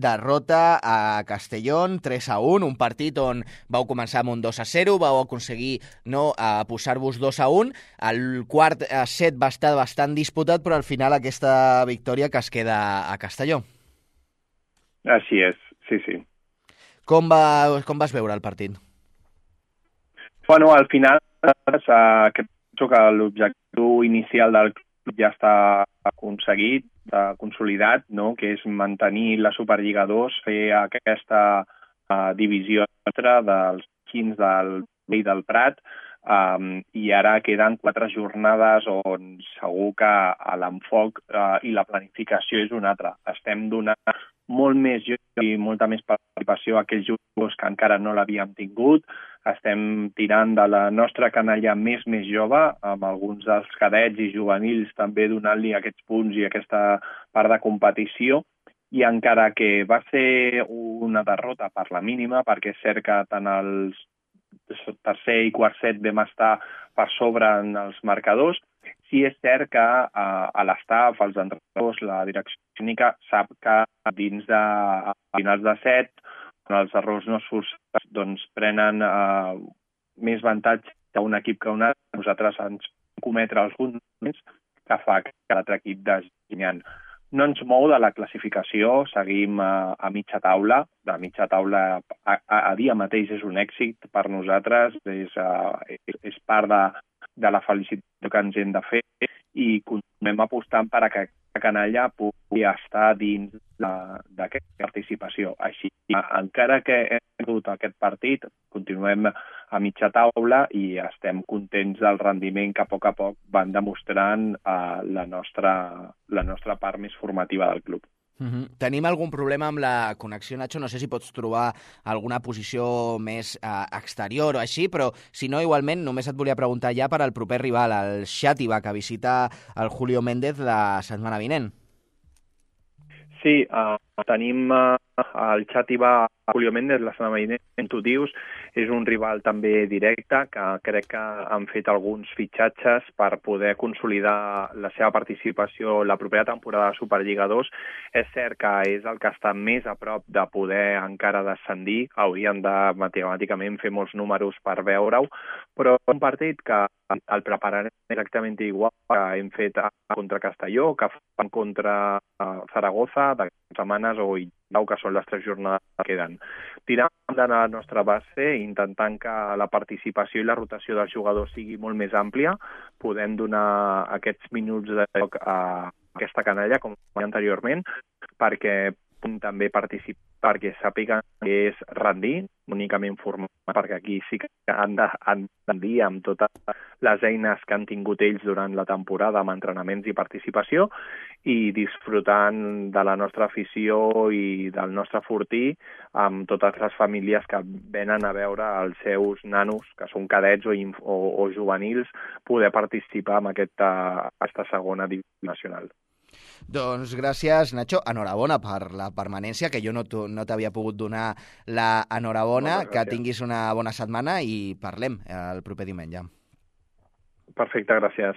derrota a Castellón, 3-1, un partit on vau començar amb un 2-0, vau aconseguir posar-vos 2-1. El quart set va estar bastant disputat, però al final aquesta victòria que es queda a Castelló. Així és, sí. Com vas veure el partit? Bueno, al final penso que l'objectiu inicial del club ja està aconseguit, consolidat, no? Que és mantenir la Superliga 2, fer aquesta divisió dels quins del Vell del Prat, i ara queden 4 jornades on segur que l'enfoc i la planificació és un altre. Estem donant molt més joc i molta més participació a aquells jugadors que encara no l'havíem tingut. Estem tirant de la nostra canalla més jove, amb alguns dels cadets i juvenils també donant-li aquests punts i aquesta part de competició. I encara que va ser una derrota per la mínima, perquè és cert que tant els tercer i quart set vam estar per sobre en els marcadors, sí és cert que a l'estaf, els entrenadors, la direcció tècnica sap que dins de finals de set, quan els errors no surten, doncs prenen més avantatge d'un equip que un altre. Nosaltres ens cometre alguns moments que fa que l'altre equip desguanyant. No ens mou de la classificació, seguim a mitja taula. De mitja taula a dia mateix és un èxit per nosaltres, és part de la felicitat que ens hem de fer i continuem apostant per a que la canalla pugui estar dins d'aquesta participació. Així, encara que hem perdut aquest partit, continuem a mitja taula i estem contents del rendiment que a poc van demostrant la nostra part més formativa del club. Tenim algun problema amb la connexió, Nacho? No sé si pots trobar alguna posició més exterior o així, però si no, igualment, només et volia preguntar ja per al proper rival, el Xàtiva, que visita el Julio Méndez la setmana vinent. Sí, tenim el Xàtiva Julio Méndez la setmana vinent, tu dius, és un rival també directe, que crec que han fet alguns fitxatges per poder consolidar la seva participació la propera temporada de Superliga 2. És cert que és el que està més a prop de poder encara descendir, haurien de matemàticament fer molts números per veure-ho, però un partit que el prepararem exactament igual que hem fet contra Castelló, que fan contra Zaragoza, de setmanes o Illau, que són les 3 jornades que queden. Tirant de la nostra base, intentant que la participació i la rotació dels jugadors sigui molt més àmplia, podem donar aquests minuts de joc a aquesta canalla, com anteriorment, perquè també participar, perquè sàpiguen que és rendir, únicament formar, perquè aquí sí que han de rendir amb totes les eines que han tingut ells durant la temporada amb entrenaments i participació i disfrutant de la nostra afició i del nostre fortí amb totes les famílies que venen a veure els seus nanos, que són cadets o juvenils, poder participar en aquesta segona divisió nacional. Doncs gràcies, Nacho. Enhorabona per la permanència, que jo no t'havia pogut donar la enhorabona. Que tinguis una bona setmana i parlem el proper diumenge. Perfecte, gràcies.